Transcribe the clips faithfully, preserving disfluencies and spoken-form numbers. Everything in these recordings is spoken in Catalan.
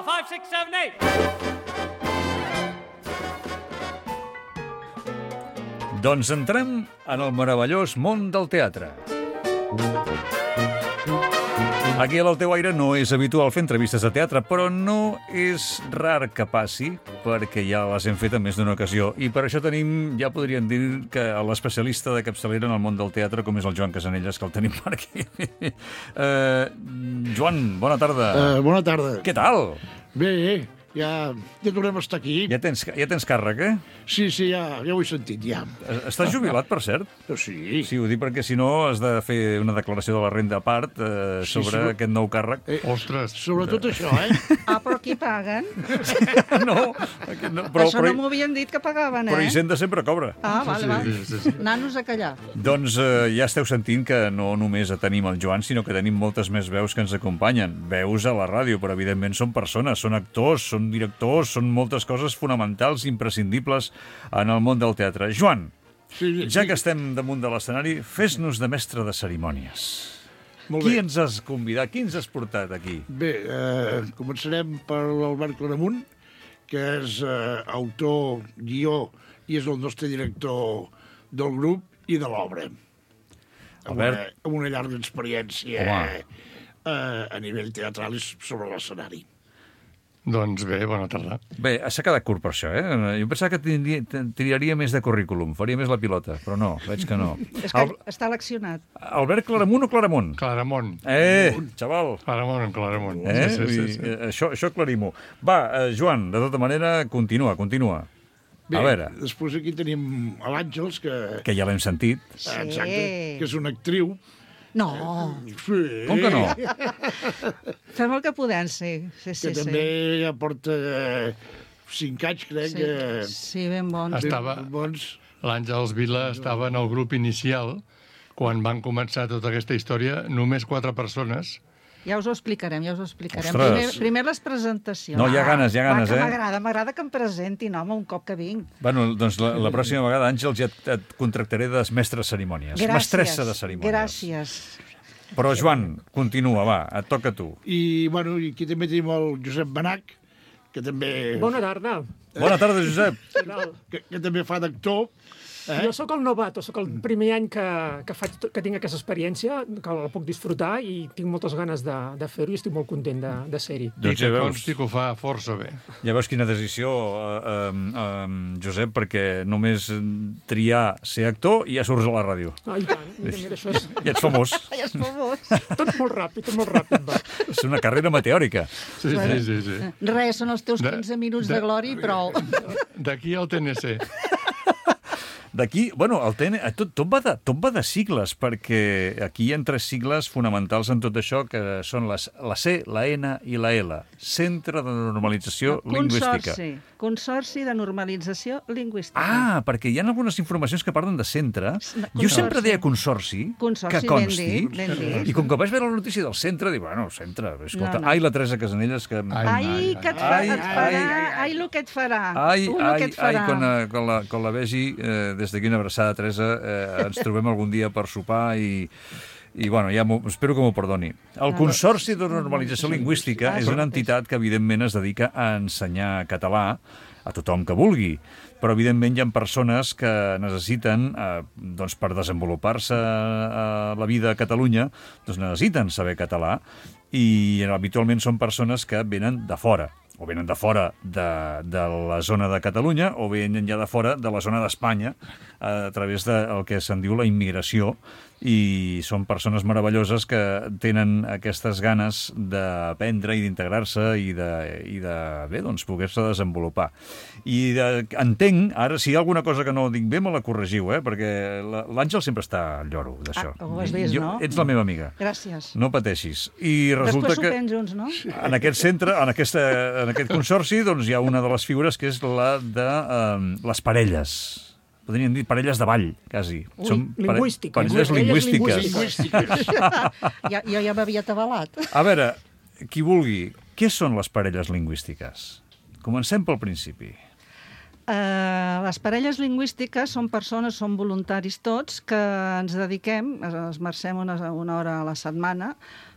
five, six, seven, eight. Doncs entrem en el meravellós món del teatre. Aquí a l'Al teu aire no és habitual fer entrevistes de teatre, però no és rar que passi, perquè ja les hem fet en més d'una ocasió. I per això tenim, ja podríem dir, que l'especialista de capçalera en el món del teatre, com és el Joan Casanelles, que el tenim per aquí. uh, Joan, bona tarda. Uh, bona tarda. Què tal? Bé, ja, ja tornem a estar aquí. Ja tens, ja tens càrrec, eh? Sí, sí, ja, ja ho he sentit, ja. Estàs jubilat, per cert? Sí. Sí, ho dic perquè si no has de fer una declaració de la renda a part eh, Sí, sobre sí. aquest nou càrrec. Eh, Ostres. Sobretot això, eh? Ah, però qui paguen? No, aquest no, Però, però, Això però, no m'ho havien dit que pagaven, eh? però Hisenda sempre cobra. Ah, vale, vale. Sí, sí, sí. Nanos a callar. Doncs eh, ja esteu sentint que no només tenim el Joan, sinó que tenim moltes més veus que ens acompanyen. Veus a la ràdio, però evidentment són persones, són actors, són directors, són moltes coses fonamentals, imprescindibles en el món del teatre. Joan, Sí, ja sí. que estem damunt de l'escenari, fes-nos de mestre de cerimònies. Molt Qui bé. ens has convidat? Qui ens has portat aquí? Bé, eh, començarem per l'Albert Claramunt, que és eh, autor, guió, i és el nostre director del grup i de l'obra. Amb una, Albert. amb una llarga experiència Home. eh, a nivell teatral i sobre l'escenari. Doncs bé, bona tarda. Bé, s'ha quedat curt per això, eh? Jo pensava que tindria, tiraria més de currículum, faria més la pilota, però no, veig que no. És que Al, està eleccionat. Albert Claramunt o Claramunt? Claramunt. Eh, xaval! Claramunt, Claramunt. Eh? Sí, sí, sí, sí. Eh, Això, això aclarim-ho. Va, eh, Joan, de tota manera, continua, continua. Bé, A veure, després aquí tenim a l'Àngels, que, que ja l'hem sentit. Sí. exacte, que és una actriu. No, Sí. Com que no? fem el que podem, sí. Sí, Que sí, també sí. ja porta eh, cinc anys, crec, Sí, que... sí, ben bons. ben Estava- bons. L'Àngels Vila estava en el grup inicial quan van començar tota aquesta història, només quatre persones. Ja us ho explicarem, ja us ho explicarem. Ostres. Primer, primer les presentacions. No, hi ha ganes, hi ha ganes, Va, que eh? M'agrada, m'agrada que em presentin, home, un cop que vinc. Bueno, doncs la, la pròxima vegada, Àngels, ja et, et contractaré de mestre de cerimònies. Gràcies. Mestressa de cerimònies. Gràcies. Però, Joan, continua, va, et toca a tu. I, bueno, i aquí també tenim el Josep Benach, que també, Bona tarda. Bona tarda, Josep. Què tal? que, que també fa d'actor. Eh? Jo sóc el novato, sóc el primer any que, que, faig, que tinc aquesta experiència, que la puc disfrutar i tinc moltes ganes de, de fer-ho i estic molt content de, de ser-hi. I Doncs que ja veus, consti que ho fa força bé. ja veus quina decisió, eh, eh, eh, Josep, perquè només triar ser actor i ja surts a la ràdio. Ah, i tant, mira, mira, això és Ja ets famós. Ai, és famós. tot molt ràpid, tot molt ràpid, va. És una carrera meteòrica. Sí, sí, sí. sí. Res, són els teus De- quinze minuts de, de- glòria i prou. D'aquí al T N C. D'aquí, bueno, el T N, tot, tot, va de, tot va de sigles, perquè aquí hi ha tres sigles fonamentals en tot això, que són les, la C, la N i la L. Centre de Normalització Lingüística. Consorci. Consorci de Normalització Lingüística. Ah, perquè hi ha algunes informacions que parlen de centre. No, Jo sempre consorci. deia consorci, Consorci, que ben consti. dit, ben dit. I com que vaig veure la notícia del centre, dic, bueno, centre, escolta, No, no. ai, la Teresa Casanelles, que... Ai, Ai, ai, que et, fa, ai, et farà, ai, ai, ai, el que et farà. Ai, Tu, lo ai, que et ai, farà. quan, eh, quan, la, quan la vegi, eh, des d'aquí una abraçada, Teresa, eh, ens trobem algun dia per sopar i, i bueno, ja espero que m'ho perdoni. El Consorci de Normalització Lingüística és una entitat que, evidentment, es dedica a ensenyar català a tothom que vulgui, però, evidentment, hi ha persones que necessiten, eh, doncs, per desenvolupar-se a la vida a Catalunya, doncs necessiten saber català, i habitualment són persones que venen de fora, o venen de fora de, de la zona de Catalunya, o venen ja de fora de la zona d'Espanya, a través del que se'n diu la immigració, i són persones meravelloses que tenen aquestes ganes d'aprendre i d'integrar-se i de, i de bé, doncs, poder-se desenvolupar. I de, entenc, ara, si hi ha alguna cosa que no dic bé, me la corregiu, eh? Perquè la- l'Àngel sempre està al lloro d'això. Ah, ho has vist, Jo- no? Ets la meva amiga. Gràcies. No pateixis. I resulta Després que sopem junts, no? en aquest centre, en, aquesta, en aquest consorci, doncs hi ha una de les figures que és la de um, les parelles. Podríem dir parelles de ball, quasi. Ui, pare- lingüístiques. Parelles Parelles lingüístiques. lingüístiques. Ja, jo ja m'havia atabalat. A veure, qui vulgui, què són les parelles lingüístiques? Comencem pel principi. Uh, les parelles lingüístiques són persones, són voluntaris tots, que ens dediquem, esmercem una, una hora a la setmana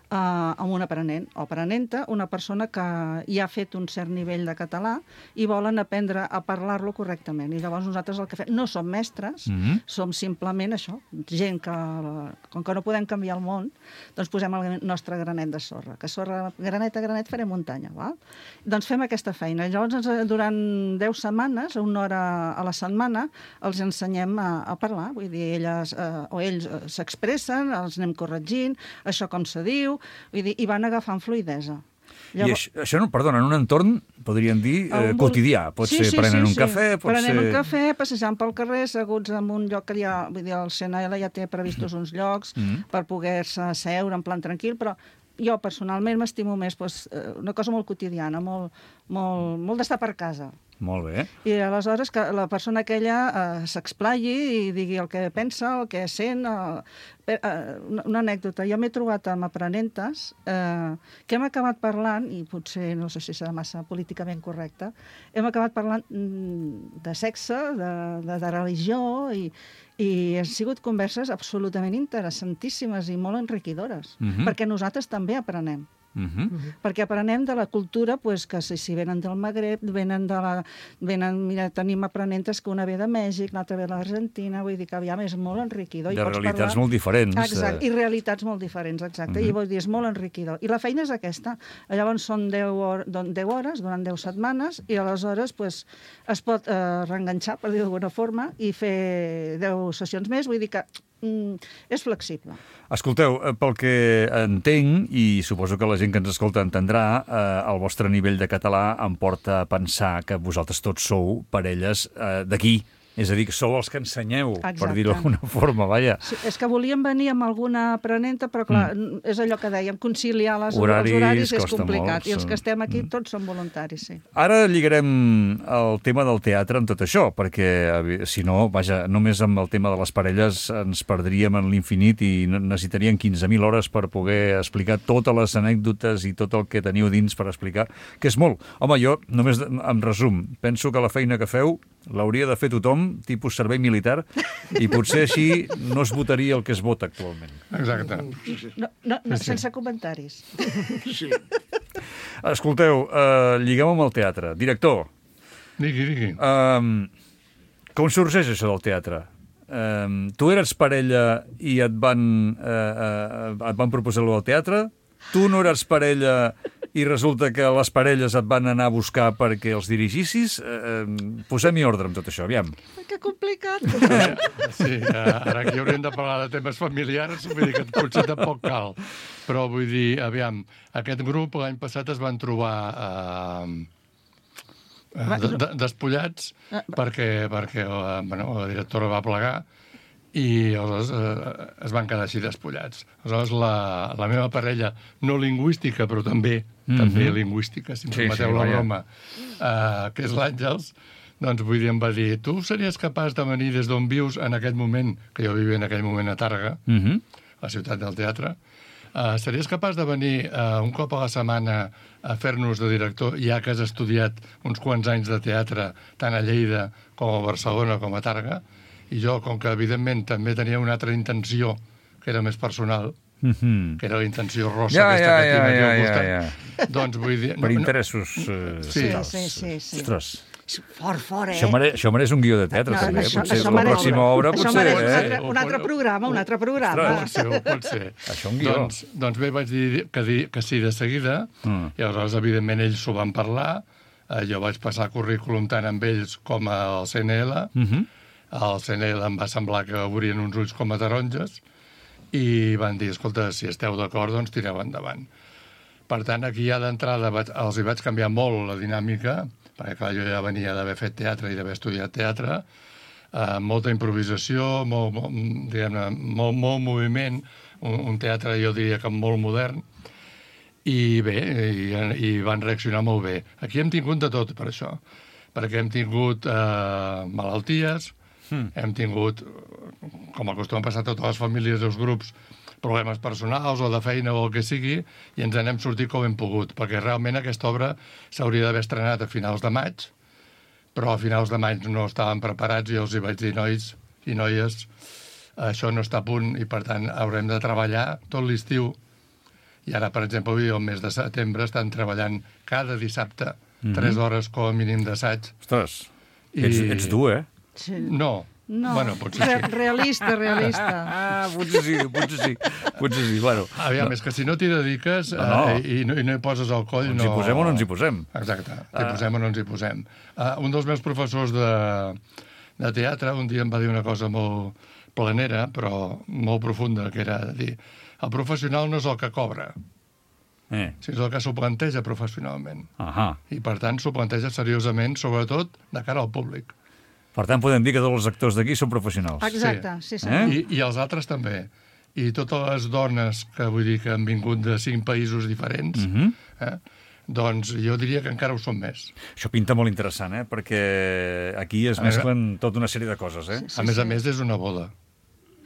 amb un aprenent o aprenenta, una persona que ja ha fet un cert nivell de català i volen aprendre a parlar-lo correctament. I llavors nosaltres el que fem, no som mestres, mm-hmm. som simplement això, gent que, com que no podem canviar el món, doncs posem el nostre granet de sorra, que sorra, granet a granet farem muntanya, val? Doncs fem aquesta feina. Llavors, durant deu setmanes, una hora a la setmana, els ensenyem a, a parlar, vull dir, elles eh, o ells s'expressen, els anem corregint, això com se diu, vull dir, i van agafant fluïdesa. Llavors... I això, això no, perdona, en un entorn, podríem dir, eh, quotidià. Pot sí, ser sí, prenent sí, un sí. cafè, pot prenent ser... Prenent un cafè, passejant pel carrer, asseguts en un lloc que ja... Vull dir, el C N L ja té previstos uns llocs mm-hmm. per poder-se seure en plan tranquil, però jo personalment m'estimo més doncs, una cosa molt quotidiana, molt, molt, molt d'estar per casa. Molt bé. I aleshores que la persona aquella eh, s'explayi i digui el que pensa, el que sent... Eh, eh, una, una anècdota. Jo m'he trobat amb aprenentes eh, que hem acabat parlant, i potser no sé si serà massa políticament correcte, hem acabat parlant de sexe, de, de, de religió, i, i han sigut converses absolutament interessantíssimes i molt enriquidores, mm-hmm. perquè nosaltres també aprenem. Uh-huh. Uh-huh. Perquè aprenem de la cultura pues, que si, si venen del Magreb, venen de la... Venen, mira, tenim aprenentes que una ve de Mèxic, l'altra ve de l'Argentina, vull dir que aviam és molt enriquidor. De I realitats parlar... molt diferents. Exacte, i realitats molt diferents, exacte. Uh-huh. I vull dir, és molt enriquidor. I la feina és aquesta. Llavors són deu hores, durant deu setmanes, i aleshores pues, es pot eh, reenganxar, per dir d'alguna forma, i fer deu sessions més, vull dir que mm, és flexible. Escolteu, pel que entenc, i suposo que la gent que ens escolta entendrà, eh, el vostre nivell de català em porta a pensar que vosaltres tots sou parelles eh, d'aquí. És a dir, que sou els que ensenyeu, exacte. Per dir-ho d'alguna forma, vaja. Sí, és que volíem venir amb alguna aprenenta, però clar, mm. és allò que dèiem, conciliar les, horaris, els horaris és complicat, molt, i els que estem aquí mm. tots són voluntaris, sí. Ara lligarem el tema del teatre amb tot això, perquè si no, vaja, només amb el tema de les parelles ens perdríem en l'infinit i necessitaríem quinze mil hores per poder explicar totes les anècdotes i tot el que teniu dins per explicar, que és molt. Home, jo, només en resum, penso que la feina que feu l'hauria de fer tothom, tipus servei militar, i potser així no es votaria el que es vota actualment. Exacte. No, no, no sense comentaris. Sí. Escolteu, uh, lliguem amb el teatre. Director. Digui, digui. Um, com sorgeix això del teatre? Um, tu eres parella i et van, uh, uh, et van proposar-lo al teatre? Tu no eres parella i resulta que les parelles et van anar a buscar perquè els dirigissis? Eh, posem-hi ordre amb tot això, aviam. Que complicat. Sí, ara aquí hauríem de parlar de temes familiars, vull dir que potser tampoc cal. Però vull dir, aviam, aquest grup l'any passat es van trobar eh, eh, despullats perquè, perquè la, bueno, la directora va plegar i aleshores eh, es van quedar així despullats. Aleshores, la, la meva parella, no lingüística, però també, mm-hmm. també lingüística, si em sí, permeteu sí, la broma, eh, que és l'Àngels, doncs vull dir, em va dir, tu series capaç de venir des d'on vius en aquest moment, que jo vivia en aquell moment a Tàrrega, mm-hmm. la ciutat del teatre, eh, series capaç de venir eh, un cop a la setmana a fer-nos de director, ja que has estudiat uns quants anys de teatre, tant a Lleida com a Barcelona com a Tàrrega, i jo, com que evidentment també tenia una altra intenció, que era més personal, mm-hmm. que era la intenció rossa, ja, aquesta ja, que tinc ja, aquí ja, al costat, ja, ja. doncs vull dir... Per no, interessos no, uh, sí. Sí, sí, sí. Ostres. Fort, fort, eh? Això mereix, això mereix un guió de teatre, no, també. Això, potser això la mereix, pròxima obra, això potser... mereix un, Eh? altre, un altre programa, un altre programa. Pot ser, pot ser. Això un guió. Doncs, doncs bé, vaig dir que, dir que sí de seguida, mm. i aleshores, evidentment, ells s'ho van parlar, eh, jo vaig passar currículum tant amb ells com al C N L, mm-hmm. al C N L em va semblar que obrien uns ulls com a taronges, i van dir, escolta, si esteu d'acord, doncs tireu endavant. Per tant, aquí ja d'entrada els hi vaig canviar molt la dinàmica, perquè clar, jo ja venia d'haver fet teatre i d'haver estudiat teatre, eh, molta improvisació, molt, molt, diguem-ne, molt, molt moviment, un, un teatre jo diria que molt modern, i bé, i, i van reaccionar molt bé. Aquí hem tingut de tot per això, perquè hem tingut eh, malalties, mm. hem tingut, com acostuma a passar a totes les famílies dels grups, problemes personals o de feina o el que sigui, i ens n'hem sortit com hem pogut, perquè realment aquesta obra s'hauria d'haver estrenat a finals de maig, però a finals de maig no estaven preparats i els hi vaig dir, nois i noies, això no està a punt i per tant haurem de treballar tot l'estiu I ara, per exemple, avui, el mes de setembre, estan treballant cada dissabte Mhm. tres hores com a mínim d'assaig. Ostres, I- ets, ets dur, eh? Sí. No. No, Bueno, potser Re sí. realista, realista. Ah, potser sí, potser sí. Potser sí, bueno. Aviam, és que si no t'hi dediques No, no. eh, i, no, i no hi poses el coll... Ens no... hi posem o no ens hi posem? Exacte, t'hi posem o no ens hi posem. Uh, un dels meus professors de, de teatre un dia em va dir una cosa molt planera, però molt profunda, que era de dir, el professional no és el que cobra, Eh. sinó el que s'ho planteja professionalment. Ahà. I, per tant, s'ho planteja seriosament, sobretot de cara al públic. Per tant, podem dir que tots els actors d'aquí són professionals. Exacte, sí, sí. Eh? I, I els altres també. I totes les dones que vull dir que han vingut de cinc països diferents, Mhm. eh, doncs jo diria que encara ho són més. Això pinta molt interessant, eh? Perquè aquí es A més, mesclen tota una sèrie de coses, eh? Sí, A més sí. a més, és una boda.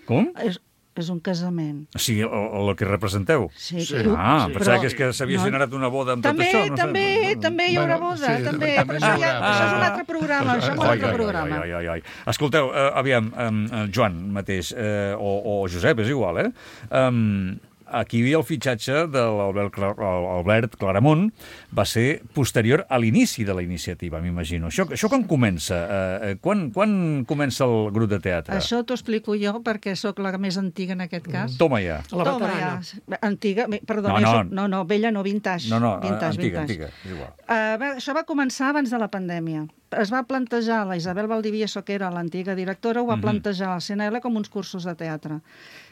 Com? És, és un casament. O sigui, el, el que representeu. Sí, Sí. tu- Ah, sí. pensava Però- que és que s'havia no. generat una boda amb També, tot això. No sé. també, també hi haurà Bueno, boda, sí, també. també Però n'hi això, haurà. ja, això és un Ah. altre programa, això és un Ai, altre ai, programa. ai, ai, ai. Escolteu, eh, aviam, eh, Joan mateix, eh, o, o Josep, és igual, eh? Um, aquí hi havia el fitxatge de l'Albert Cla- Albert Claramunt, va ser posterior a l'inici de la iniciativa, m'imagino. Això, això quan comença? Eh, quan, quan comença el grup de teatre? Això t'ho explico jo, perquè sóc la més antiga en aquest cas. Toma ja. A la Toma, veterana. ja. Antiga, bé, perdó, No, no, no. no. no, no, vella no, vintage. No, no, vintage, antiga, vintage. antiga, és igual. Uh, bé, això va començar abans de la pandèmia. Es va plantejar, la Isabel Valdivieso, que era l'antiga directora, ho va Mhm. plantejar al C N L com uns cursos de teatre.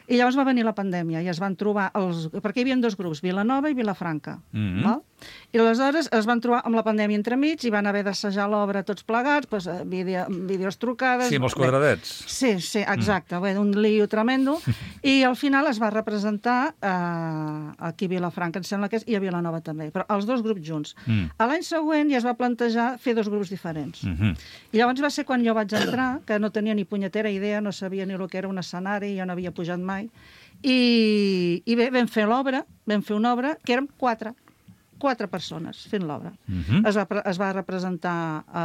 I llavors va venir la pandèmia i es van trobar, els, perquè hi havia dos grups, Vilanova i Vilafranca. Mhm. Val? I aleshores es van trobar amb la pandèmia entremig i van haver d'assajar l'obra tots plegats, doncs, vídeo, vídeos trucades... Sí, amb els Bé, quadradets. Sí, sí, exacte. Mm. Bé, un lío tremendo. I al final es va representar eh, aquí a Vilafranca, em sembla que és, i a Vilanova també, però els dos grups junts. Mm. A l'any següent ja es va plantejar fer dos grups diferents. Mhm. I llavors va ser quan jo vaig entrar, que no tenia ni punyetera idea, no sabia ni el que era un escenari, jo no havia pujat mai. I, i bé, vam fer l'obra, vam fer una obra que érem quatre, quatre persones fent l'obra. Mhm. Es, va, pre- es va representar a,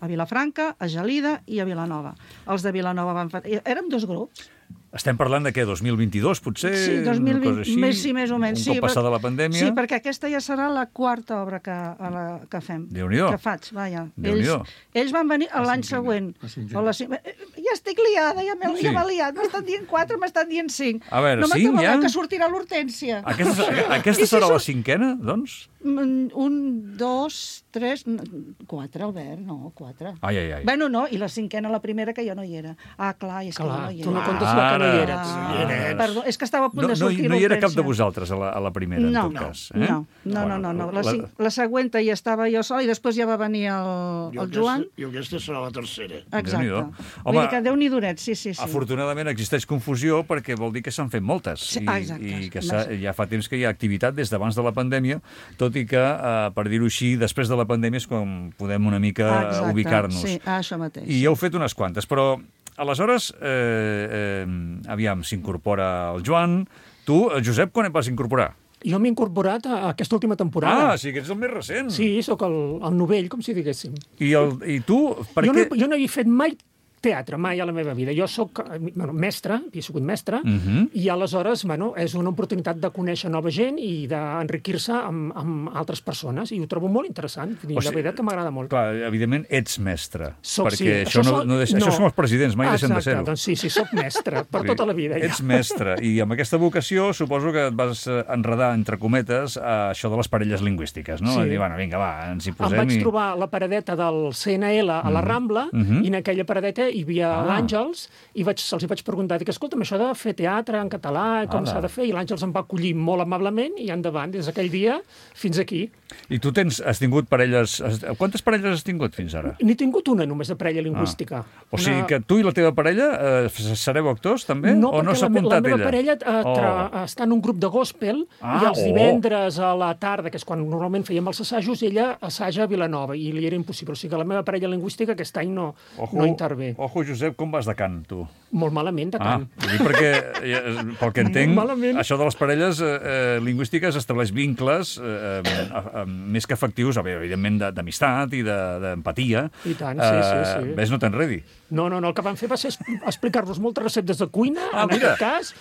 a Vilafranca, a Gelida i a Vilanova. Els de Vilanova van fer... Érem dos grups. Estem parlant de què? dos mil vint-i-dos, potser? Sí, dos mil vint, Una cosa així? més, sí, més o menys. Un sí, cop passada la pandèmia? Sí, perquè aquesta ja serà la quarta obra que, a la, que fem. Déu-n'hi-do. Que faig, vaja. Déu-n'hi-do. Ells, ells van venir a l'any següent. O la cin- Eh, Ja estic liada, ja m'he Sí. ja m'he liat. M'estan dient quatre, m'estan dient cinc. A veure, no cinc m'acabeu, ja? que sortirà l'Hortènsia. Aquesta, aquesta I si serà la surt- cinquena, doncs? Mm, Un, dos, tres... n- Quatre, Albert, no, quatre. Ai, ai, ai. Bueno, no, i la cinquena, la primera, que jo no hi era. Ah, clar, és que Clar, jo no hi tu no era. comptes la que no hi Ara. eres. Ah, Hi eres. perdó, és que estava a punt No, de no, sortir no hi era cap de l'Hortènsia. vosaltres a la, a la primera, No, en tot cas. Eh? no, no, no, no, no. La, la- cin- la següent ja estava jo sola i després ja va venir el, Jo el Joan. aquesta, jo aquesta serà la tercera. Exacte. Déu-n'hi-do. Vull Home, dir que Déu-n'hi-doret, sí, sí, sí. Afortunadament existeix confusió perquè vol dir que s'han fet moltes Sí, i, ah, exacte. i que s'ha- ja fa temps que hi ha activitat des d'abans de la pandèmia, tot i que, eh, per dir-ho així, després de la pandèmia és quan podem una mica Ah, exacte, ubicar-nos. Sí, ah, això mateix. I heu fet unes quantes, però aleshores, eh, eh, aviam, s'incorpora el Joan. Tu, el Josep, quan et vas incorporar? Jo m'he incorporat a aquesta última temporada. Ah, sí que ets el més recent. Sí, sóc el, el novell, com si diguéssim. I, el, i tu, per Jo què... no, jo no he fet mai teatre, mai a la meva vida. Jo sóc eh, bueno, mestre, he sigut mestre, Mhm. i aleshores bueno, és una oportunitat de conèixer nova gent i d'enriquir-se amb, amb altres persones, i ho trobo molt interessant. Vull dir, O la sigui, veritat que m'agrada molt. Clar, evidentment ets mestre, Soc, perquè sí. això, no, soc- no deixa, això són els presidents, mai deixen de Exacte, ser-ho. doncs sí, sí, soc mestre, per Vull dir, tota la vida. Ja. Ets mestre, i amb aquesta vocació suposo que et vas eh, enredar, entre cometes, a això de les parelles lingüístiques, no? Sí. I dir, bueno, vinga, va, ens hi Em posem vaig i... trobar la paradeta del C N L a la Rambla, Mhm. i en aquella paradeta hi havia Ah. l'Àngels, i vaig, se'ls hi vaig preguntar, dic, escolta'm, això de fer teatre en català, com Ala. s'ha de fer? I l'Àngels em va acollir molt amablement, i endavant, des d'aquell dia fins aquí. I tu tens, has tingut parelles... Has, quantes parelles has tingut fins ara? N'he tingut una només de parella lingüística. Ah. O sigui que tu i la teva parella eh, sereu actors, també? No, o no perquè s'ha la, me- la apuntat meva ella? parella eh, tra, Oh. està en un grup de gospel, Ah, i els oh. divendres a la tarda, que és quan normalment fèiem els assajos, ella assaja a Vilanova, i li era impossible. O sigui que la meva parella lingüística aquest any no, Ojo, no intervé. Ojo, Josep, com vas de cant, tu? Molt malament, de Ah, tant. vull dir perquè, eh, pel que entenc, Molt malament. això de les parelles eh, eh, lingüístiques estableix vincles eh, eh, eh, més que efectius, a veure, evidentment, de- d'amistat i de- d'empatia. I tant, sí, sí, sí. Ves, no t'enredi. No, no, no, el que van fer va ser es- explicar-nos moltes receptes de cuina, Ah, en mira. aquest cas,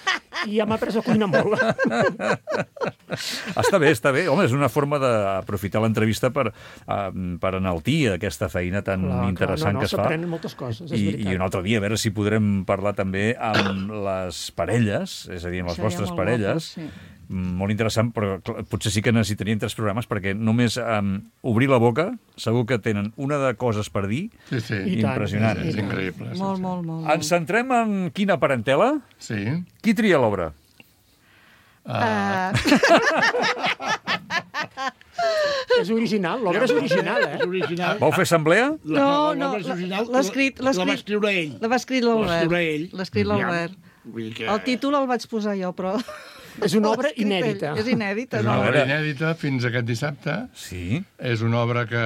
i ja m'ha après a cuinar molt. Està bé, està bé. Home, és una forma d'aprofitar l'entrevista per, uh, per enaltir aquesta feina tan Clar, interessant clar, no, no, que es fa. s'aprenen moltes coses, és I, veritat. I un altre dia, a veure si podrem parlar també amb les parelles, és a dir, amb les Seria vostres molt parelles. guapo, sí. Molt interessant, però clar, potser sí que necessitarien tres programes, perquè només um, obrir la boca, segur que tenen una de coses per dir, Sí, sí. I tant, impressionant. És increïble. sí, Molt, sí. molt, molt. Ens centrem en quina parentela? Sí. Qui tria l'obra? Uh, És original, l'obra és original, És eh? original. Vau fer assemblea? La- No, la- no, l'obra és original, l'ha escrit- l'ha La va escrit- escriure ell. La va escriure Va l'Albert. escriure ell. L'ha escrit l'Albert. Vull dir que... El títol el vaig posar jo, però... És una obra l'ha escrit ell. inèdita. És inèdita, és no? una A obra veure. inèdita fins aquest dissabte. Sí. És una obra que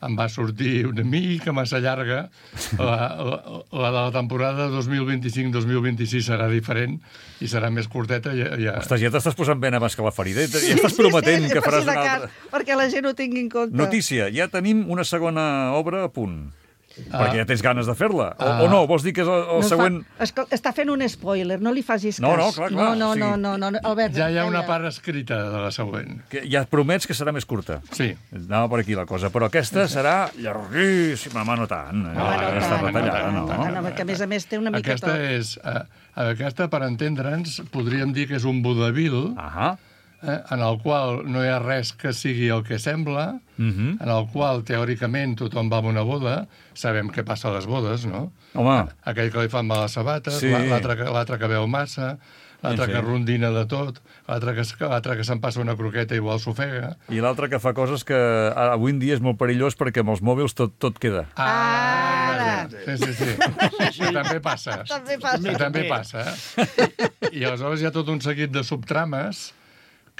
em va sortir una mica massa llarga. La, la, la de la temporada dos mil vint-i-cinc dos mil vint-i-sis serà diferent i serà més curteta. Ja, ja. Ostres, ja t'estàs posant ben abans que la ferida. Ja ja estàs prometent sí, sí, que faràs per si de una cas, altra... perquè la gent ho tingui en compte. Notícia, ja tenim una segona obra a punt. Ah. Perquè ja tens ganes de fer-la. O, Ah. o no, vols dir que és el, el No següent... Fa, escol, està fent un spoiler, no li facis cas. No, no, clar, clar, No, no, o sigui- no, no, no, no, Albert, Ja hi ha una calla. part escrita de la següent. Que ja et promets que serà més curta. Sí. Anava per aquí la cosa, però aquesta serà llarguíssima, home, no tant. Eh? No, no, Aquesta tant, retallada, no, no. tant, no, perquè a més a més té una mica Aquesta tot. és... Eh, aquesta, per entendre'ns, podríem dir que és un vodevil Ahà. eh, en el qual no hi ha res que sigui el que sembla, Mhm. en el qual, teòricament, tothom va a una boda, sabem què passa a les bodes, no? Home, Aquell que li fan mal a les sabates, Sí. sí. l'altre que, l'altre que veu massa, l'altre Sí, sí. que rondina de tot, l'altre que, es- l'altre que se'n passa una croqueta i igual s'ofega. i l'altre que fa coses que ah, avui en dia és molt perillós perquè amb els mòbils tot, tot queda. Ara. Sí, sí, sí. sí, sí. També passa. També passa. I també passa. I, I aleshores hi ha tot un seguit de subtrames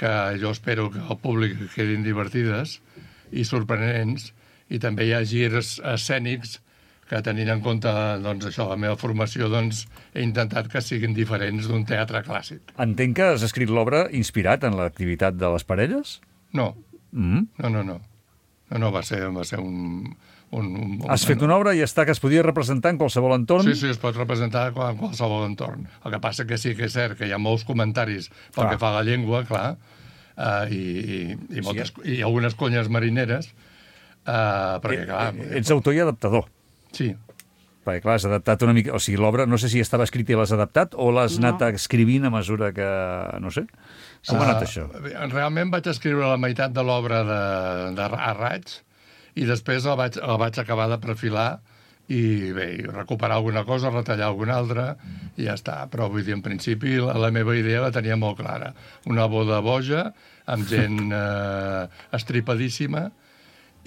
que jo espero que al públic quedin divertides i sorprenents, i també hi ha girs escènics que, tenint en compte doncs, això, la meva formació, doncs, he intentat que siguin diferents d'un teatre clàssic. Entenc que has escrit l'obra inspirat en l'activitat de les parelles? No, Mm. no, no, no. No, no, va ser, va ser un... un, un Has fet una obra i està que es podia representar en qualsevol entorn? Sí, sí, es pot representar en qualsevol entorn. El que passa que sí que és cert que hi ha molts comentaris pel Clar. que fa a la llengua, clar, uh, i, i, i, moltes, i algunes conyes marineres, uh, perquè, clar... Eh, Ets autor i adaptador. Sí, Perquè, clar, has adaptat una mica... O sigui, l'obra, no sé si estava escrita i l'has adaptat o l'has No. anat escrivint a mesura que... No sé. Com ha anat això? Uh, realment vaig escriure la meitat de l'obra de, de, a raig i després la vaig, la vaig acabar de perfilar i bé, i recuperar alguna cosa, retallar alguna altra i ja està. Però vull dir, en principi la, la meva idea la tenia molt clara. Una boda boja, amb gent eh, estripadíssima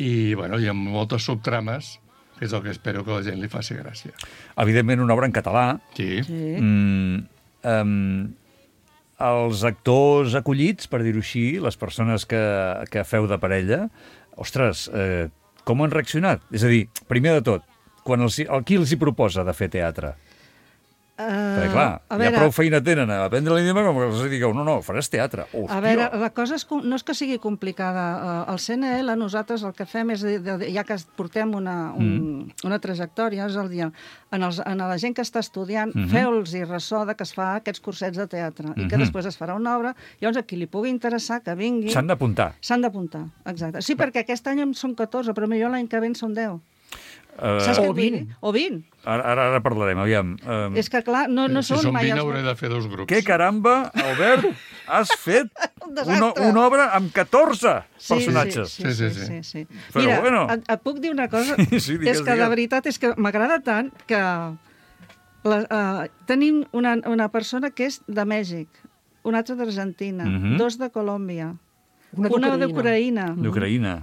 i, bueno, i amb moltes subtrames, que és el que espero que la gent li faci gràcia. Evidentment, una obra en català. Sí. Sí. Mm, um, els actors acollits, per dir-ho així, les persones que, que feu de parella, ostres, eh, com han reaccionat? És a dir, primer de tot, quan els, el, qui els hi proposa de fer teatre? Uh, Perquè, clar, a ja veure, prou feina tenen a aprendre l'idioma com que els digueu, no, no, faràs teatre. Hòstia! A veure, la cosa és, com- no és que sigui complicada. Eh, Al C N L nosaltres el que fem és, de, de, ja que portem una, un, Mm. una trajectòria, és el dir, en, els, en la gent que està estudiant, Mhm. feu-los-hi ressò de que es fa aquests cursets de teatre i que Mhm. després es farà una obra. Llavors, a qui li pugui interessar, que vingui... S'han d'apuntar. S'han d'apuntar, exacte. Sí, perquè aquest any en són catorze, però millor l'any que ve en són deu. Uh, Saps què O et vull dir? vint. O vint. ara, ara, ara parlarem, aviam. Um, És que, clar, no, no si són són mai vint, els... hauré de fer dos grups. Què caramba, Albert, has fet Un una, desastre. una obra amb catorze Sí, personatges? Sí, sí, Sí, sí. sí, sí, sí. sí. Però Mira, bueno. et, et puc dir una cosa? Sí, sí, digues, és que digues. de veritat és que m'agrada tant que la, uh, tenim una, una persona que és de Mèxic, una altra d'Argentina, Mhm. dos de Colòmbia, Una una d'Ucraïna. d'Ucraïna, D'Ucraïna.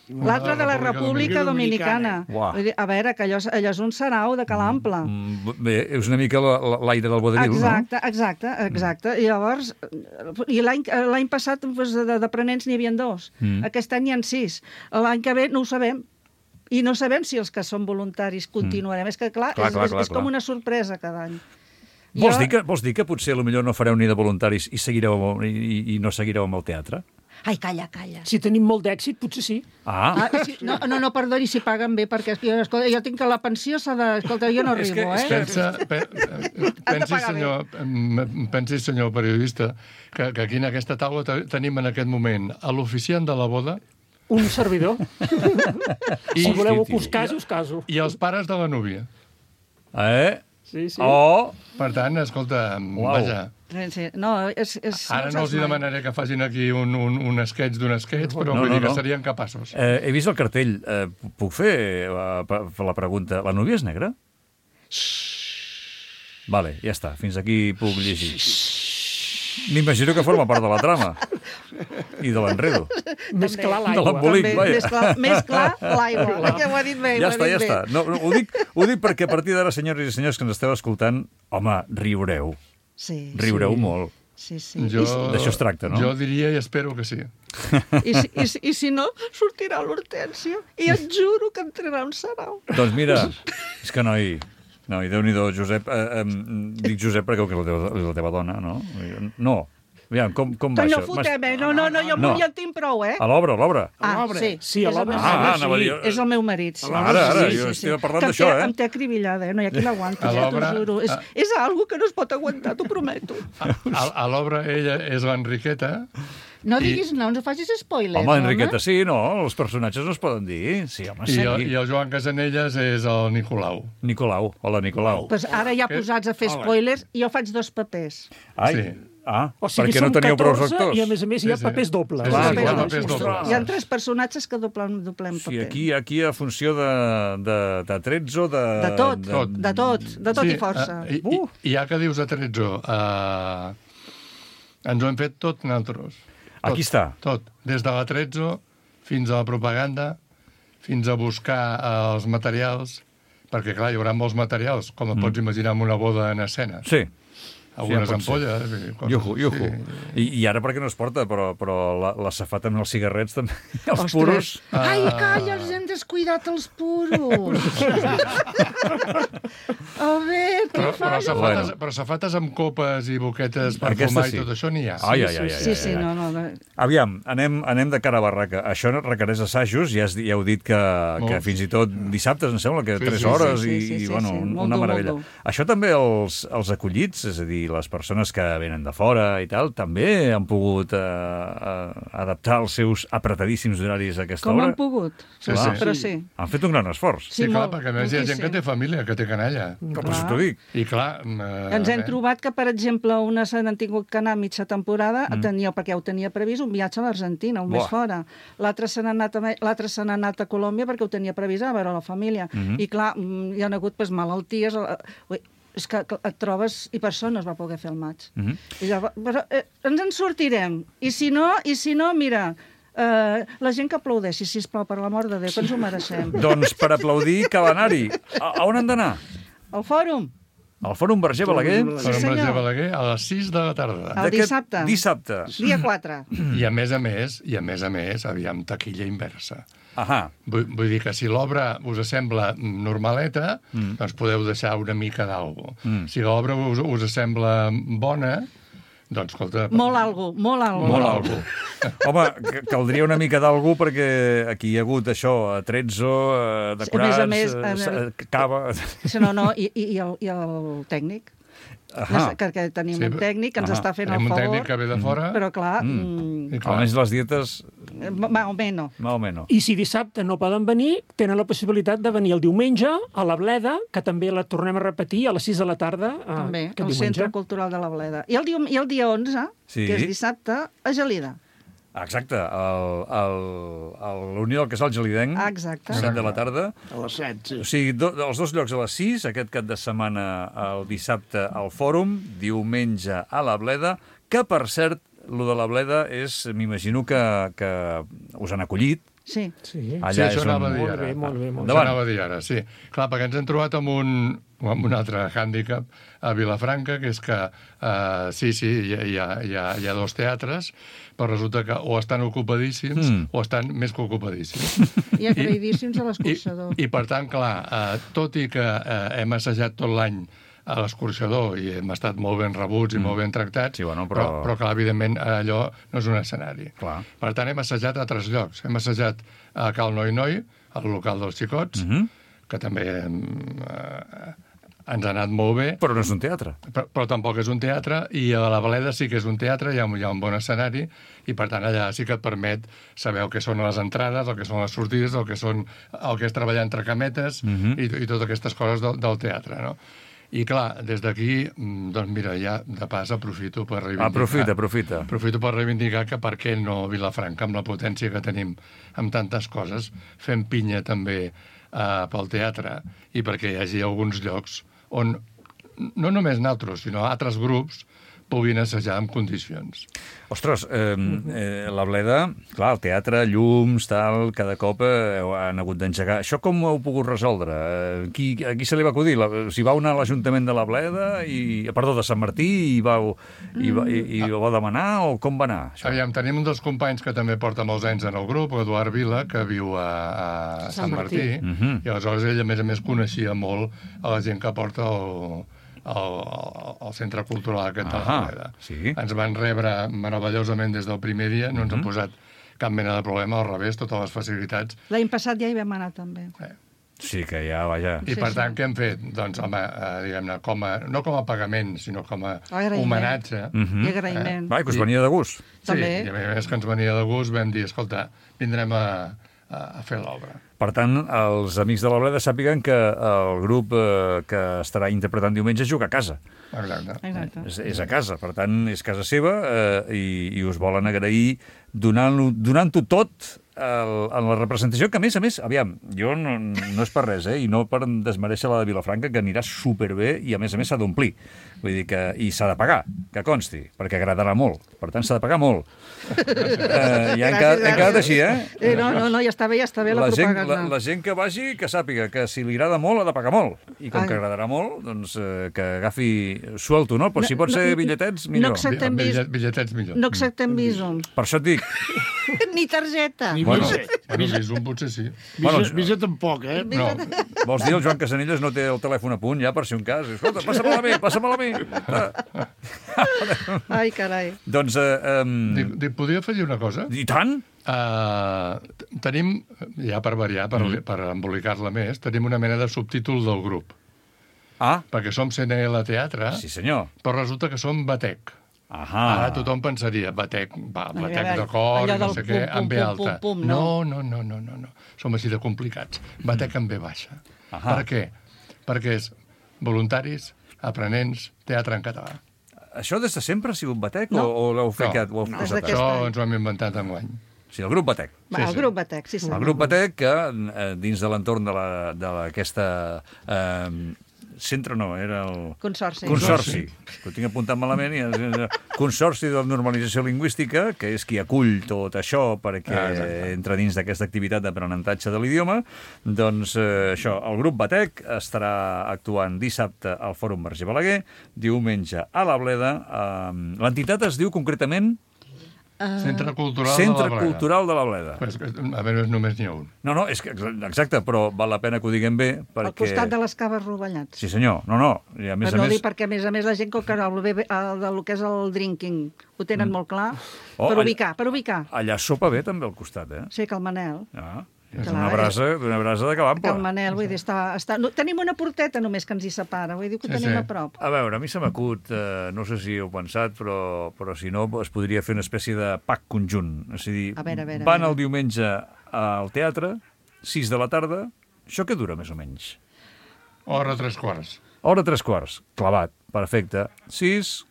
l'altra de la República Dominicana. Uah. Vull dir, a veure, que allò, és- allò és un sarau de calample. Mm, Bé, és una mica la- la- l'aire del vodevil, Exacte, exacte, exacte. I llavors, i l'any l'any passat doncs, de- d'aprenents n'hi havia dos. Mm. Aquest any n'hi ha sis. L'any que ve no ho sabem. I no sabem si els que són voluntaris continuarem. És que, clar, Clar, és, clar, és, clar, és com clar. una sorpresa cada any. no? Vols Jo- dir, que, vols dir que potser potser no fareu ni de voluntaris i seguireu amb- i, i no seguireu amb el teatre? Ai, calla, calla. Si tenim molt d'èxit, potser sí. Ah, Ah, sí, no, no, no, perdoni, si paguen bé, perquè jo, escolta, jo tinc que la pensió s'ha de... Escolta, jo no És que- arribo, és eh? que- Pensa, pe, pensi, pagar senyor, em- pensi, senyor periodista, que, que aquí en aquesta taula te- tenim en aquest moment a l'oficiant de la boda Un servidor. i, Si voleu Hosti, us caso, us caso. i els pares de la núvia. eh? Sí, sí. Oh, Per tant, escolta, Uau. vaja, Sí, no, és... és ara no els hi demanaré que facin aquí un, un, un sketch d'un sketch, però No, vull no, dir que no. serien capaços. eh, he vist el cartell. Eh, puc fer la, la pregunta? La núvia és negra? Vale, ja està. Fins aquí puc llegir. M'imagino que forma part de la trama. I de l'enredo. Més clar De l'aigua. l'embolic, També, vaja. més clar, més clar l'aigua. Que ho ha dit bé, Ja ho ha està, dit ja bé. està. No, no, ho, dic, ho dic perquè a partir d'ara, senyores i senyors que ens esteu escoltant, home, riureu. Sí, Riureu Sí. molt. sí, sí. Jo, D'això es tracta, no? Jo diria i espero que sí. I, si, i, si, I si no, sortirà l'Hortènsia i et juro que entrarà un sarau. Doncs mira, és que noi... Noi, Déu-n'hi-do, Josep... Eh, eh, dic Josep perquè és la teva, és la teva dona, no? No. Aviam, com, com va Que no això? fotem, eh? No, no, no, jo No. ja en tinc prou, eh? A l'obra, a l'obra. Ah, l'obra. sí. Sí, a és el l'obra. meu Ah, marit. ah, anava a dir... És el meu marit, sí. Ara, ara, Sí, jo sí, sí. estic parlant Que em d'això, té- eh? Em té acribillada, eh? No hi ha qui l'aguanti, A ja t'ho l'obra- juro. És, a- és algo que no es pot aguantar, t'ho prometo. A, a l'obra ella és l'Enriqueta. No I- diguis no, no facis spoilers, Home, Enriqueta, sí, no? Els personatges no es poden dir. Sí, home, I, sí. el, I el Joan Casanelles és el Nicolau. Nicolau. Hola, Nicolau. Pues ara ja Que- posats a fer spoilers, jo faig dos papers. Ai, Sí. ah, O sigui, perquè no som teníeu prou catorze actors. i, a més a més, hi ha Sí, sí. papers dobles. Sí, Clar, sí, clar. hi ha papers dobles. Hi ha tres personatges que doblen, doblem paper. Sí, aquí, aquí a funció de, de, de trets o de... De tot, Tot. de tot, de tot i força. eh, i, Uh. i, I ja que dius de Trezzo, uh, ens ho hem fet tot nosaltres. Tot, Aquí està. Tot, des de la Trezzo fins a la propaganda, fins a buscar uh, els materials, perquè, clar, hi haurà molts materials, com et pots imaginar amb una boda en escena. Sí. Algunes ja pot ser. ampolles i coses Iuhu, iuhu. així. I, I ara perquè no es porta, però, però la, la safata amb els cigarrets també, els Ostres. puros... Ai, calla, els hem descuidat els puros. A veure, què Però, però, fas? safates, Bueno. però safates amb copes i boquetes per Aquesta fumar sí. i tot això n'hi ha. Ai, ai, ai, ai, Sí, sí, ai, ai. no, no. no. Aviam, anem, anem de cara a barraca. Això no requereix assajos, ja, has, ja heu dit que, que Molts. fins i tot dissabtes, em sembla, que Sí, tres sí, hores sí, i, sí, sí, i bueno, sí, un- molt una dur, molt meravella. dur. Això també els, els acollits, és a dir, les persones que venen de fora i tal, també han pogut eh, eh, adaptar els seus apretadíssims horaris a aquesta Com hora. han pogut? Sí, Però, sí. però sí. Han fet un gran esforç. Sí, Sí, clar, molt, perquè a més hi ha gent que moltíssim. té família, que té canalla. Però per això t'ho dic. I clar... Eh, Ens hem eh, trobat que, per exemple, unes han tingut que anar a mitja temporada, mm. tenia, perquè ja ho tenia previst, un viatge a l'Argentina, un Buah. mes fora. L'altre se n'ha anat, a- l'altre se n'ha anat a Colòmbia perquè ho tenia previst a veure la família. Mm -hmm. I clar, mm, hi ha hagut pues, malalties... eh, Ui, és que que et trobes... I per això no es va poder fer el maig. Mm -hmm. I llavors, però, eh, ens en sortirem. I si no, i si no mira... Uh, la gent que aplaudeixi, sisplau, per l'amor de Déu, que ens ho mereixem. Doncs per aplaudir cal anar-hi. A, a on han d'anar? El fòrum, Al Fòrum Verger Balaguer? Per Sí, sí, senyor. Balaguer a les sis de la tarda. El D'aquest dissabte. Dissabte. dia quatre. I a més a més, i a més a més, aviam, taquilla inversa. Ahà. Vull, vull dir que si l'obra us sembla normaleta, mm. doncs podeu deixar una mica d'algo. Mm. Si l'obra us, us sembla bona, doncs, escolta... Molt algo, molt algo. Molt algo. Home, que- caldria una mica d'algú perquè aquí hi ha hagut això, trezzo, eh, decorats, A més a eh, més, sa- cava... Sí, no, no, i, i, i, el, i el tècnic. Ahà. Que, que tenim Sí, un tècnic que ens ahà. està fent Tenim el un favor. tècnic que ve de fora, Però, clar, Mm. mm. i clar, Almenys les dietes, más o menos. més o menys. I si dissabte no poden venir, tenen la possibilitat de venir el diumenge a la Bleda, que també la tornem a repetir a les sis de la tarda. eh, També, aquest el diumenge. Centre Cultural de la Bleda. I el, dia, i el dia onze, Sí. que és dissabte, a Gelida. Exacte, el, el, el, la Unió del Casal Gelidenc, Exacte. set de la tarda. A les set, sí. O sigui, do, els dos llocs a les sis, aquest cap de setmana el dissabte al Fòrum, diumenge a la Bleda, que, per cert, lo de la Bleda és, m'imagino que, que us han acollit. Sí. Sí. Allà Sí, això és on... anava a dir Molt ara. bé, molt bé, molt bé. Això Endavant. anava a dir ara, sí. Clar, perquè ens hem trobat amb un, amb un altre hàndicap a Vilafranca, que és que, uh, sí, sí, hi ha, hi, ha, hi, ha, hi ha dos teatres, però resulta que o estan ocupadíssims Mm. o estan més que ocupadíssims. I agraïdíssims a I, l'escorçador. I, per tant, clar, uh, tot i que uh, hem assajat tot l'any a l'escorxador i hem estat molt ben rebuts i mm. molt ben tractats, sí, bueno, però... però... però clar, evidentment, allò no és un escenari. Clar. Per tant, hem assajat a altres llocs. Hem assajat a Cal Noi Noi, al local dels xicots, mm-hmm. que també eh, ens ha anat molt bé. Però no és un teatre. Però, però tampoc és un teatre, i a la Bleda sí que és un teatre, hi ha, hi ha un bon escenari, i per tant allà sí que et permet saber el que són les entrades, el que són les sortides, el que, són, el que és treballar entre cametes, mm-hmm. i, i totes aquestes coses del, del teatre, no? I clar, des d'aquí, doncs mira, ja de pas aprofito per reivindicar... Aprofita, aprofita. Aprofito per reivindicar que per què no Vilafranca, amb la potència que tenim amb tantes coses, fem pinya també eh, pel teatre, i perquè hi hagi alguns llocs on no només nosaltres, sinó altres grups puguin assajar en condicions. Ostres, eh, eh, la Bleda, clar, el teatre, llums, tal, cada cop eh, han hagut d'engegar. Això com ho heu pogut resoldre? Eh, qui, a qui se li va acudir? La, si vau anar a l'Ajuntament de la Bleda, i, perdó, de Sant Martí, i vau, i, i, i, i ho va demanar, o com va anar? Això? Aviam, tenim un dels companys que també porta molts anys en el grup, Eduard Vila, que viu a, a Sant, Sant Martí, Martí. Uh-huh. I aleshores ell, a més a més, coneixia molt a la gent que porta el... Al, al Centre Cultural aquest de la Bleda. Sí. Ens van rebre meravellosament des del primer dia, no ens mm-hmm. han posat cap mena de problema, al revés, totes les facilitats. L'any passat ja hi vam anar, també. Eh. Sí, que ja, vaja... I sí, per sí. tant, què hem fet? Doncs, home, eh, diguem-ne, com a, no com a pagament, sinó com a agraïment. homenatge. Mm-hmm. I agraïment. Eh? Va, que us venia de gust. Sí, També. i a més que ens venia de gust, vam dir, escolta, vindrem a, a, a fer l'obra. Per tant, els amics de la Bleda sàpiguen que el grup eh, que estarà interpretant diumenge juga a casa. Exacte. Exacte. És, és a casa, per tant, és casa seva, eh, i, i us volen agrair donant-ho donant-ho tot el, en la representació, que a més a més, aviam, jo no, no és per res, eh, i no per desmereixer la de Vilafranca, que anirà superbé, i a més a més s'ha d'omplir. Vull dir que, i s'ha de pagar, que consti, perquè agradarà molt. Per tant, s'ha de pagar molt. Eh, ja hem quedat, hem quedat així, eh? eh? No, no, no, ja està bé, ja està bé la, la gent, propaganda. la, la gent que vagi, que sàpiga que si li agrada molt, ha de pagar molt. I com Ai. que agradarà molt, doncs eh, que agafi suelto, no? Però si pot ser bitlletets, No millor. acceptem, bis... Bitllet, bitlletets millor. no acceptem bísums. Per això et dic. Ni targeta. Ni Bueno. visa. Bueno, Visum potser sí. Visa, Bueno, visa tampoc, eh? No, Vols dir, el Joan Casanelles no té el telèfon a punt ja per si un cas? Escolta, passa-me-la a mi, passa-me-la a mi. Ah. Ai, carai. Doncs, eh, dic, um, dic, podria afegir una cosa? i tant? Uh, tenim, ja per variar, per, Mm. per embolicar-la més, tenim una mena de subtítol del grup. Ah, Perquè som C N L Teatre, sí senyor. però resulta que som Batec. Ahà. Ara tothom pensaria, Batec, va, Ai, Batec ai, de cor, allò no del sé què, pum, amb B pum, alta. pum, pum, no, no. no, no, no, no, no. Som així de complicats. Batec amb B baixa. Ahà. Per què? Perquè és voluntaris, aprenents, teatre en català. Això des de sempre ha sigut Batec No. o, o l'heu fet? No. O heu No. posat Des d'aquest ara? Això any. ens ho hem inventat enguany. Sí, el grup Batec. Va, Sí, el sí. grup Batec, sí, sí. El grup Batec, que eh, dins de l'entorn de la- de aquesta... Eh, centre no, era el... Consorci. Consorci, que ho tinc apuntat malament, i és Consorci de Normalització Lingüística, que és qui acull tot això perquè Ah, exacte. entra dins d'aquesta activitat d'aprenentatge de l'idioma. Doncs eh, això, el grup Batec estarà actuant dissabte al Fòrum Verger Balaguer, diumenge a la Bleda. Eh, L'entitat es diu concretament Centre Cultural Centre de la Bleda. Cultural de la Bleda. Pues, a veure, només n'hi ha un. No, no, és que, exacte, però val la pena que ho diguem bé, perquè... Al costat de les caves rovellats. Sí, senyor, no, no, i a més per a no més... dir, perquè a més a més la gent, com que el, bebé- el, del que és el drinking ho tenen molt clar, Oh, per allà- ubicar, per ubicar. Allà sopa bé també al costat, eh? Sí, que el Manel, Ah, és Clar, una brasa, una brasa de que el calample. Manel, vull dir, està, està... No, tenim una porteta només que ens hi separa, vull dir que ho Sí, tenim sí. a prop. A veure, a mi se m'acut, eh, no sé si heu pensat, però, però si no es podria fer una espècie de pack conjunt. És a dir, A veure, a veure, a van veure. el diumenge al teatre, sis de la tarda, això què dura més o menys? Hora tres quarts. Hora tres quarts, clavat, perfecte. sis,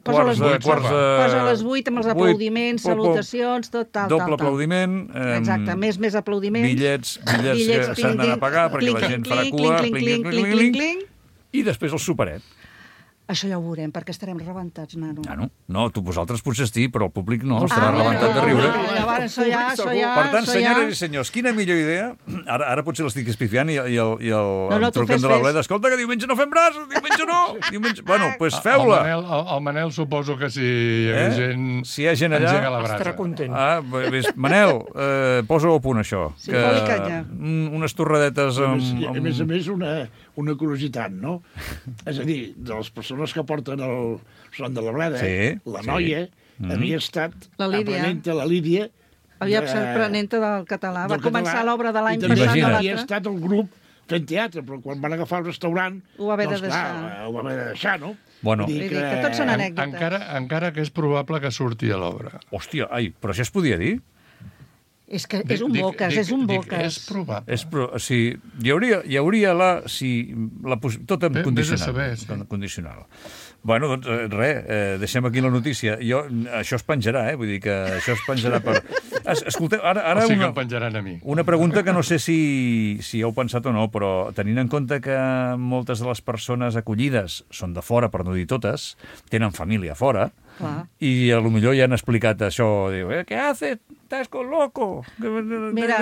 Posa quarts les de... vuit, Quarts de... Posa a les vuit amb els vuit, aplaudiments, pop, pop. salutacions, tot, tal, Doble tal, tal. aplaudiment. Eh, Exacte, més, més aplaudiments. Bitllets, bitllets, Bitllets, que s'han d'anar a pagar perquè la gent farà cua, clinc, clinc, clinc, clinc, clinc, clinc, clinc. i després el superet. Això ja ho veurem, perquè estarem rebentats, nano. Ah, no? No, tu vosaltres potser sí, però el públic no, Ah, estarà rebentat de riure. No, llavors, això ja, això ja... Per tant, això senyores ja... i senyors, quina millor idea... Ara, ara potser l'estic espifiant i, i el, i el No, no, em tu truquen fes, de la fes. bleda. Escolta, que diumenge no fem res, diumenge no. Diumenge... Bueno, doncs pues El feu-la. Manel, el, el Manel suposo que si hi hagués Eh? gent... Si hi ha gent allà- engega la brasa. Estarà content. Ah, ves, Manel, eh, posa-ho a punt, això. Sí, foli canya. mm, unes torradetes A amb... més, i a amb... més a més, una, una curiositat, no? És a dir, de les persones que porten el son de la bleda, Sí, la sí. noia Mm. havia estat La Lídia. aprenent-te, la Lídia, Havia de- estat aprenenta del català. Va del començar català, l'obra de l'any i també passat. Imagina't. a havia l'altre. estat el grup fent teatre, però quan van agafar el restaurant... Ho va haver de doncs, clar, deixar. ho va haver de deixar, no? Bueno. Vull Vull dir que tots són En, anècdotes. encara, encara que és probable que surti a l'obra. Hòstia, ai, però això es podia dir? És que és un Dic- boques, dic- és un dic, boques. És probable. És, però, o sigui, hi hauria, hi hauria la... Si, la poss- tot en Ve- vés a condicional. saber, sí. en condicional. Bueno, doncs, eh, res, eh, deixem aquí la notícia. Jo, això es penjarà, eh? Vull dir que això es penjarà per... Es, escolteu, ara, ara O sigui que una, em penjaran a mi. una pregunta que no sé si, si heu pensat o no, però tenint en compte que moltes de les persones acollides són de fora, per no dir totes, tenen família fora, Clar. i a lo millor ja han explicat això, diu, eh, què haces? Estàs con loco? Mira,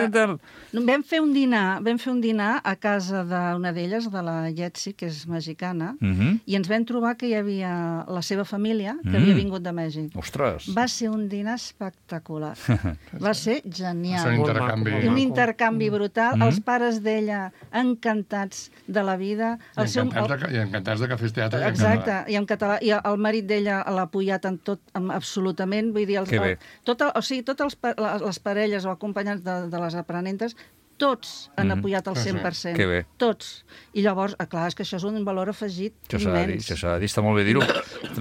vam fer un dinar, vam fer un dinar a casa d'una d'elles, de la Jetsi, que és mexicana, Mhm. i ens vam trobar que hi havia la seva família, que Mm. havia vingut de Mèxic. Ostres. Va ser un dinar espectacular. Va ser És un genial. Molt intercanvi. maco, I un molt intercanvi brutal. Mm. Els pares d'ella encantats de la vida. I El seu, encantats, de, I encantats de que fes teatre i en Exacte, català. i en català. I el marit d'ella l'ha apoyat en tot, en, absolutament. Vull dir, els, Que bé. el, tot el, o sigui, totes els, pa- les, les parelles o acompanyants de, de les aprenentes, tots han Mhm. apoyat al cent per cent. Que bé. Tots. I llavors, ah, clar, és que això és un valor afegit Això s'ha de dir, immens. això s'ha de dir, està molt bé dir-ho,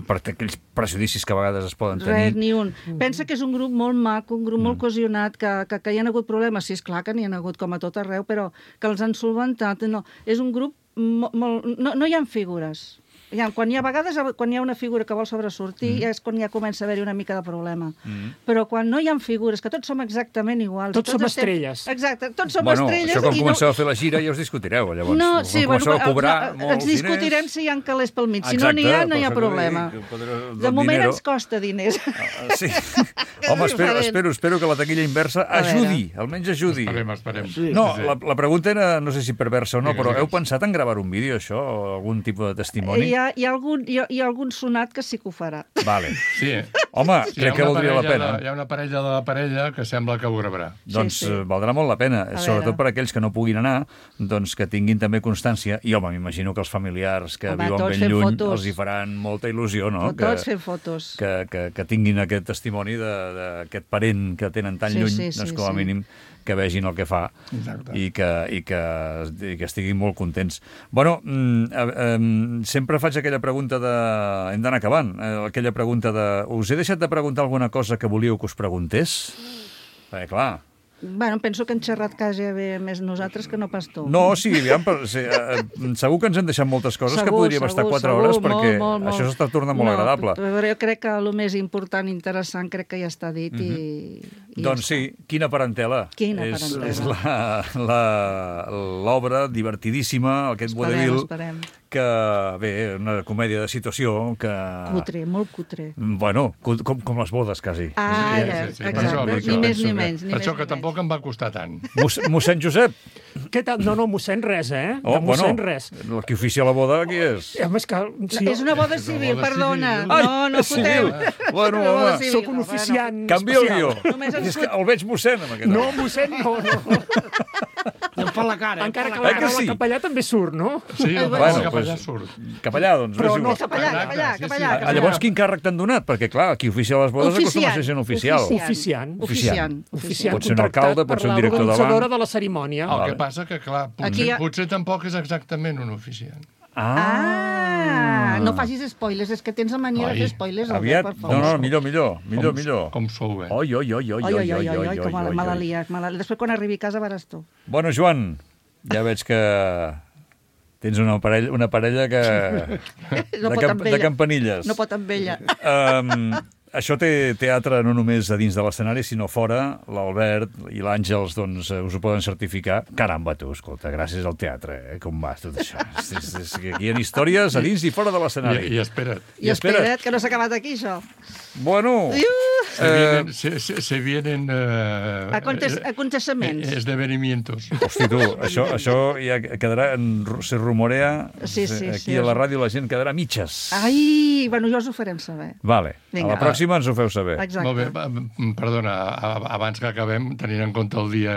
per aquells prejudicis que a vegades es poden tenir. Res, ni un. Pensa que és un grup molt maco, un grup molt cohesionat, que, que, que hi ha hagut problemes, sí, és clar que n'hi ha hagut com a tot arreu, però que els han solventat. No, és un grup molt... molt no, no hi ha figures. Hi ha, quan hi ha a vegades, quan hi ha una figura que vol sobresortir, mm. és quan ja comença a haver-hi una mica de problema. Mm. Però quan no hi ha figures, que tots som exactament iguals. Tots som estem- estrelles. Exacte, tots som Bueno, estrelles. això quan i comenceu a fer la gira ja us discutireu, llavors. No, Quan sí, bueno, comenceu a cobrar ens, molts ens discutirem diners... si hi ha calés pel mig. Si Exacte, no n'hi ha, no hi ha per això que problema. dic, podré- De del moment dinero. ens costa diners. Ah, sí. és Home, espero, diferent. espero, espero que la taquilla inversa A veure. ajudi, almenys ajudi. Esperem, esperem. Sí. No, Sí. la, la pregunta era, no sé si perversa o no, Digues, però heu digues. pensat en gravar un vídeo, això, o algun tipus de testimoni? Hi ha, hi, ha algun, hi, ha, hi ha algun sonat que sí que ho farà. Vale. Sí, eh? Home, Sí, hi ha crec que una valdria la parella pena. De, hi ha una parella de la parella que sembla que ho gravarà. Doncs Sí, sí. eh, valdrà molt la pena, A sobretot veure. per aquells que no puguin anar, doncs que tinguin també constància. I, home, m'imagino que els familiars que Home, viuen tots ben fent lluny fotos. els hi faran molta il·lusió, no? Tots que, fent fotos. que, que, que tinguin aquest testimoni de- d'aquest parent que tenen tan Sí, lluny, sí, sí, doncs com a sí. mínim que vegin el que fa Exacte. i que, i, que, i que estiguin molt contents. Bueno, mm, eh, eh, sempre faig aquella pregunta de... Hem d'anar acabant. Eh, aquella pregunta de... Us he deixat de preguntar alguna cosa que volíeu que us preguntés? Perquè, clar... Bueno, penso que hem xerrat quasi bé més nosaltres que no pas tu. No, sí, aviam, però, sí, eh, eh, segur que ens hem deixat moltes coses que Segur, podríem estar segur, quatre segur, hores molt, perquè molt, molt. això s'està tornant molt no, agradable. Però jo crec que el més important i interessant crec que ja està dit i, i Doncs ja sí, quina parentela. Quina és, parentela. És la- la- l'obra divertidíssima, aquest Esperem, vodevil, esperem. que, bé, una comèdia de situació que... Cutre, molt cutre. Bueno, com, com les bodes, quasi. Ah, Sí, ja, sí, sí, per exacte. això, per Ni això. més Penso ni que- menys. Ni Per més això ni que menys. tampoc em va costar tant. Moss, mossèn Josep. Què tal? No, no, mossèn res, eh? Oh, de mossèn bueno, res. el que oficia la boda, qui és? Home, és que... Sí, És una boda civil, boda perdona. civil. Ai, No, no és civil. fotem. Bueno, Una boda home. civil, Soc un bueno. oficiant Canvia el guió. especial. Només ens És que el veig mossèn, amb aquest. No, mossèn, no, no. Em fa la cara. Encara em que fa la la que paraula sí? capellà també surt, no? Sí, el bueno, bueno, cap pues- allà surt. Cap allà, doncs. Però és no igual. Cap allà, cap allà, Sí, cap sí. allà. Ah, cap allà. llavors, quin càrrec t'han donat? Perquè, clar, qui oficia les bodes acostuma a ser gent oficial. Oficiant. Oficiant. Oficiant Pot ser un contractat alcalde, pot ser un per director de banc. l'organitzadora de la cerimònia. El Vale. que passa que, clar, Aquí potser, hi ha- potser tampoc és exactament un oficiant. Ah, no facis spoilers, és que tens la mania de Ai, fer spoilers. Aviat, Albert, per no, favor. no, millor, millor, millor, com, millor. Com sou bé. Oi, oi, oi, oi, Oi, oi, oi, oi, oi, oi, com oi, me l'ha oi. liat, me l'ha liat. Després, quan arribi a casa, veuràs tu. Bueno, Joan, ja veig que tens una parella, una parella que... No de, pot camp, amb de ella. campanilles. No pot amb ella. Um, això té teatre no només a dins de l'escenari, sinó fora. L'Albert i l'Àngels doncs, us ho poden certificar. Caramba, tu, escolta, gràcies al teatre, eh? Com va tot això? És, és, és, aquí hi ha històries a dins i fora de l'escenari. I, I espera't. I, I espera't, espera't, que no s'ha acabat aquí, això. Bueno... Se vienen, se, se, se vienen uh, Acontes, acontecements. esdevenimientos. Hosti, tu, això, això ja quedarà... En, se rumorea... Sí, sí, aquí sí, a la ràdio la gent quedarà mitges. Ai, bueno, jo us ho farem saber. Vale, Vinga. a la pròxima ens ho feu saber. Exacte. Molt bé, perdona, abans que acabem, tenint en compte el dia,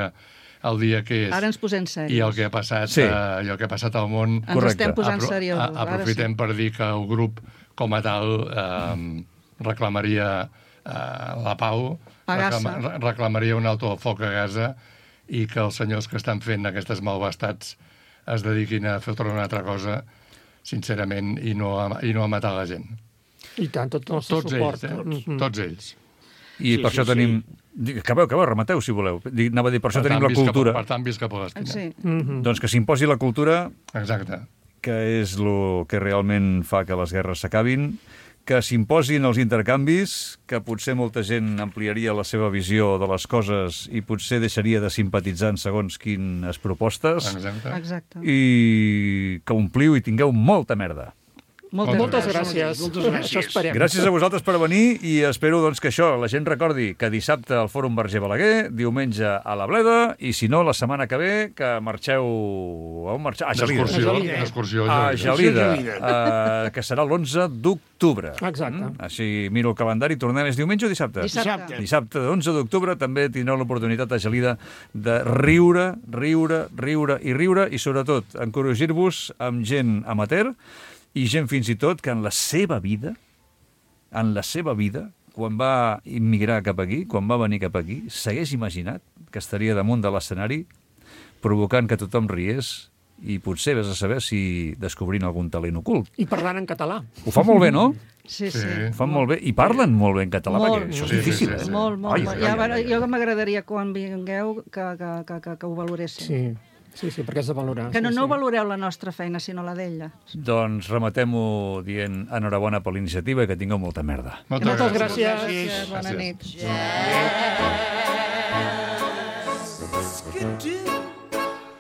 el dia que és... Ara ens posem serios. I el que ha passat, Sí. uh, i el que ha passat al món... Ens Correcte. estem posant apro- seriosos. a- Aprofitem Ara per dir que el grup, com a tal, eh, reclamaria eh, la pau, A Gaza. reclama, reclamaria un alto al foc a Gaza i que els senyors que estan fent aquestes malvestats es dediquin a fer una altra cosa, sincerament, i no a, i no a matar la gent. I tant, tot el nostre Tots suport. ells, eh? Mhm. Tots ells. I Sí, per sí, això sí. tenim... Dic, Acabeu, acabeu, remateu, si voleu. Dic, anava a dir, per això Per tenim tant, la visca- cultura. Per tant, visca Palestina. sí. Mhm. Doncs que s'imposi la cultura, Exacte. que és el que realment fa que les guerres s'acabin, que s'imposin els intercanvis, que potser molta gent ampliaria la seva visió de les coses i potser deixaria de simpatitzar en segons quines propostes, Exacte. Exacte. i que ompliu i tingueu molta merda. Moltes, Moltes gràcies. gràcies. Moltes gràcies. Això esperem. Gràcies a vosaltres per venir i espero doncs, que això, la gent recordi que dissabte al Fòrum Verger Balaguer, diumenge a la Bleda, i si no, la setmana que ve, que marxeu... A on marxeu? A Gelida. D'excursió, Gelida. d'excursió. A Gelida. Gelida, Gelida. uh, que serà l'onze d'octubre. Exacte. Mm? Així miro el calendari. Tornem és diumenge o dissabte? Dissabte. Dissabte, onze d'octubre, també tindreu l'oportunitat a Gelida de riure, riure, riure i riure, i sobretot encorregir-vos amb gent amateur i gent fins i tot que en la seva vida, en la seva vida, quan va immigrar cap aquí, quan va venir cap aquí, s'hagués imaginat que estaria damunt de l'escenari provocant que tothom riés i potser vés a saber si descobrint algun talent ocult. I parlant en català. Ho fa molt bé, no? Sí, sí. Sí. Ho fan molt bé. I parlen molt bé en català, Molt, perquè això és sí, difícil. sí, eh? sí. Molt, molt. Ai, molt. ai, Ja, ai, bueno, ai, ai. jo m'agradaria quan vingueu que, que, que, que, que ho valoréssiu. Sí, sí, sí, perquè és de valorar. Que no, sí, no sí. valoreu la nostra feina, sinó la d'ella. Doncs rematem-ho dient enhorabona per l'iniciativa i que tingueu molta merda. Moltes, Moltes gràcies. gràcies. Gràcies, bona Gràcies. nit. Skidoo.